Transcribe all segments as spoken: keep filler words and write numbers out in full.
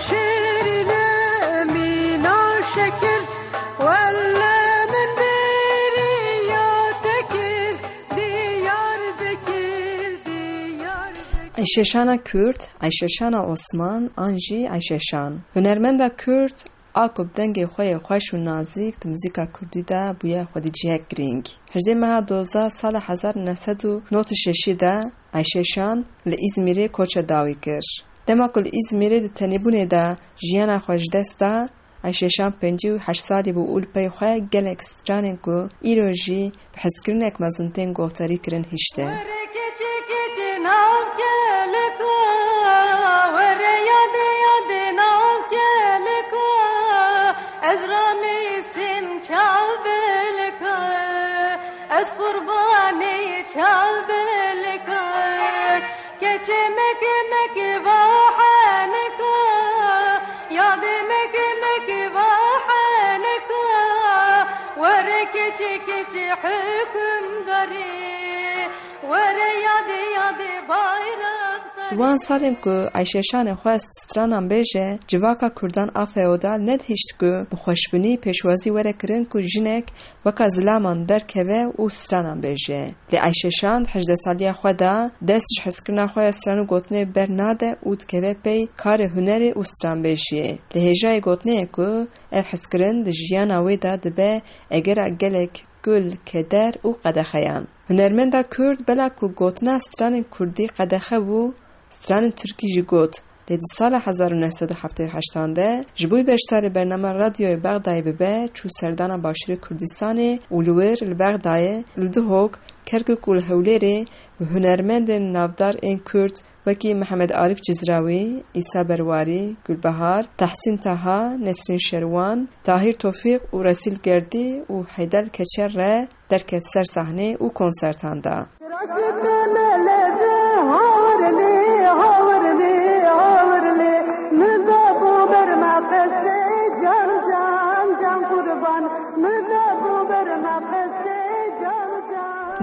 Şêrîne mîna şekir, welle min bêriya te kir, Diyarbekir, Diyarbekir. Eyşeşana Kurd, Eyşeşana Osman, an jî Eyşeşan. Hunermenda Kurd, a ku bi dengê xwe yê xweş û nazik di muzîka Kurdî de bûye xwedî cihek girîng. Hejdê meha Doza sala hezar û neh sed û nod û şeşî de Eyşeşan li Îzmîrê koça dawî kir. Dema ku li Îzmîrê di tenêbûnê de jiyana xwe ji dest da, Eyşeşan pêncî û heşt salî bû û li pey xwe gelek stranên ku îro jî bi hezkirinek mezin tên gotarî kirin hişte. Were keçi keçi nav kelika, were yade yade nav kelika, ez ramîsim çav belika, ez qurbanê çav belika. Keçê meke meke va henika, yadê meke meke va henika, were keçê keçê hukimdarê, were yadê yadê bayrakdarê. Di wan salên ku Eyşeşanê xwest stranan bêje, civaka Kurdan a feodal nedihişt ku bi xweşbinî pêşwazî were kirin ku jinek weka zilaman derkeve û stranan bêje. Lê Eyşeşan di hejdeh saliya xwe de dest ji hezkirina xwe ya stran û gotinê bernade û dikeve pey karê hunerê û stranbêjiyê. Li hêjayê gotinê ye ku ev hezkirin di jiyana wê de dibe egera gelek gul, keder û qedexeyan. Hunermenda Kurd bela ku gotina stranên Kurdî qedexe bû, stranên Tirkî jî got. Lê di sala hezar û neh sed û heftê û heştan de ji bo beşdarê bername Radyoyê Bexdayê bibe, çû serdana Başûrê Kurdistanê û li wir li Bexdayê, li Duhok, Kerkûk û li Hewlêrê bi hunermendên navdar ên Kurd wekî Mihemed Arîf Cizrawî, Îsa Berwarî, Gulbehar, Tehsîn Taha, Nesrîn Şerwan, Tahîr Tofîq û Resîl Gerdî û Heydel Keçer re derket ser sahnê û konsertan da.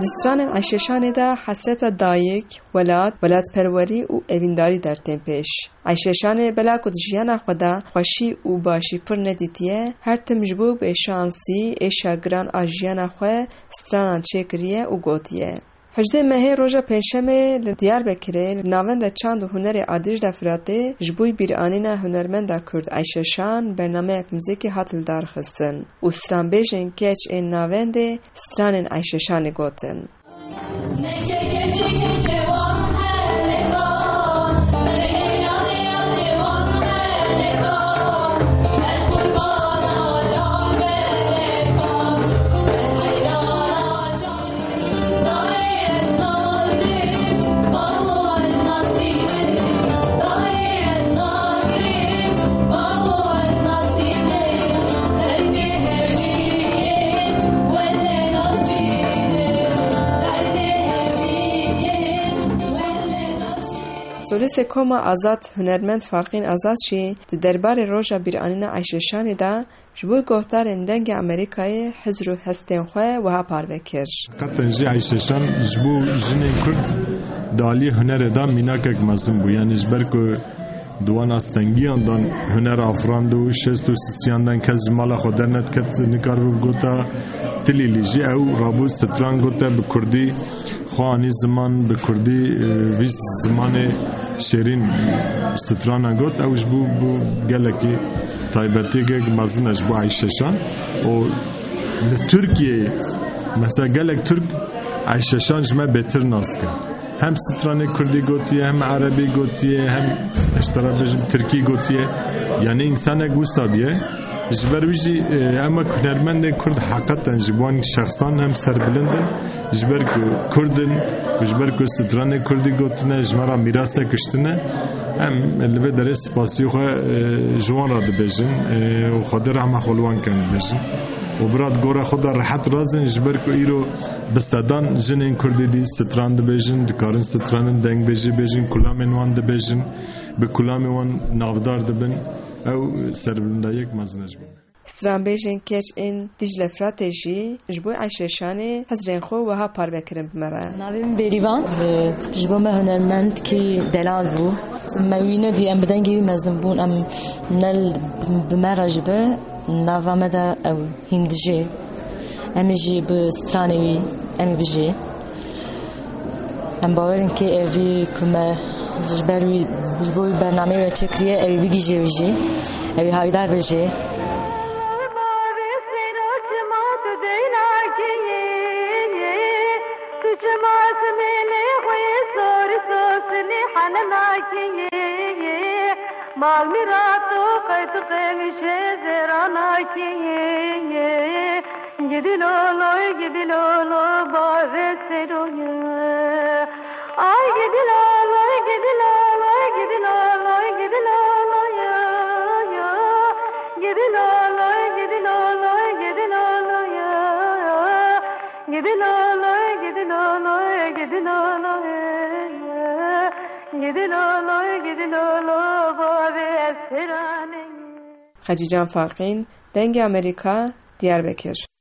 Di stranên Eyşeşanê de hesreta dayik, welat, welatperwerî û evîndarî dertên pêş. Eyşeşanê bela ku di jiyana xwe de xweşî û başî pir nedîtiye, her tim ji bo bêşansî êşa giran a jiyana xwe stranan çêkiriye û gotiye. Hejdê mehê roja Pêncşemê li Diyarbekirê li Navenda Çand û Hunerê a Dîcle Firatê ji bo bîranîna hunermenda Kurd Eyşeşan bernameyek muzîkî hat lidarxistin û stranbêjên keç ên navendê stranên Eyşeşanê gotin. Solistê Koma Azad hunermend Farqîn Azad jî di derbarê roja bîranîna Eyşeşanê de ji bo guhdarên Dengê Amerîkayê hizr û hestên xwe wiha parve kir. Qeten jî Eyşeşan ji bo jinên Kurd di aliyê hunerê de mînakek mezin bû. Yanî ji ber ku di wan astengiyan dan huner afirand û şêst û sisiyan dan kes ji mala xwe dernediket, nikaribe bigota tilîlî jî ew rabû stran gote bi kurdî. Xwe anî ziman bi kurdî, e, vî zimanê şêrîn strana got, ew ji bo bû gelekî taybetiyeke mezin e ji bo Eyşeşan. Û li Tirkiyeyê, mesela gelek Tirk Eyşeşan ji me bêtir nas dikin. Hem stranê kurdî gotiye, hem erebî gotiye, hem ez ji te re bêjim tirkî gotiye. Yanî însanek wisa diye. Ji ber wî jî, e, em wek hunermendên Kurd heqeten ji bo wan şexsan em serbilind in. Ji ber ku Kurd in û ji ber ku stranê Kurdî gotine, ji me re mîrasek kiştine, em li vê derê spasiyê xwe, e, ji wan re dibêjin, e, û Xwedê rehma xwe li wan ken dibêjin. Û bira di gora xwe de rehet razin, ji ber ku îro bi sedan jinên Kurdî dî stran dibêjin, dikarin stranên dengbêjî bêjin, kulamên wan dibêjin, bi kulamên wan navdar dibin. Ew serbilindayiyek mezin e ji bo me. Stranbêjên keç ên Dîcle Firatê jî ji bo Eyşeşanê hizrên xwe wiha parve kirin bi me re. Navê min Bêrîvan, e, ji bo me hunermendkî delal bû. Me wî nedî, em bi dengê wî mezin bûn, em ne li, bi me re jî be, nava me de ew hîn dijê. Em ê jî bi stranê wî, em ê bijê. Em bawer in kê evî ku me ji ber wî, ji bo wî bernameyê we çêkiriye, ew ê bigihîje wî jî, ew ê hawîdar be jê. Gidi loloy, gidi lolo, bavê seroye. Ay gidi loloy, gidi loloy, gidi loloy, gidi loloy, yo, yo. Gidi loloy, gidi loloy, gidi loloy, yo, yo. Gidi loloy, gidi loloy, gidi loloy, yo. Gidi loloy, gidi lolo, bavê seranê. Xecîcan Faqîn, Dengê Amerîka, Diyarbekir.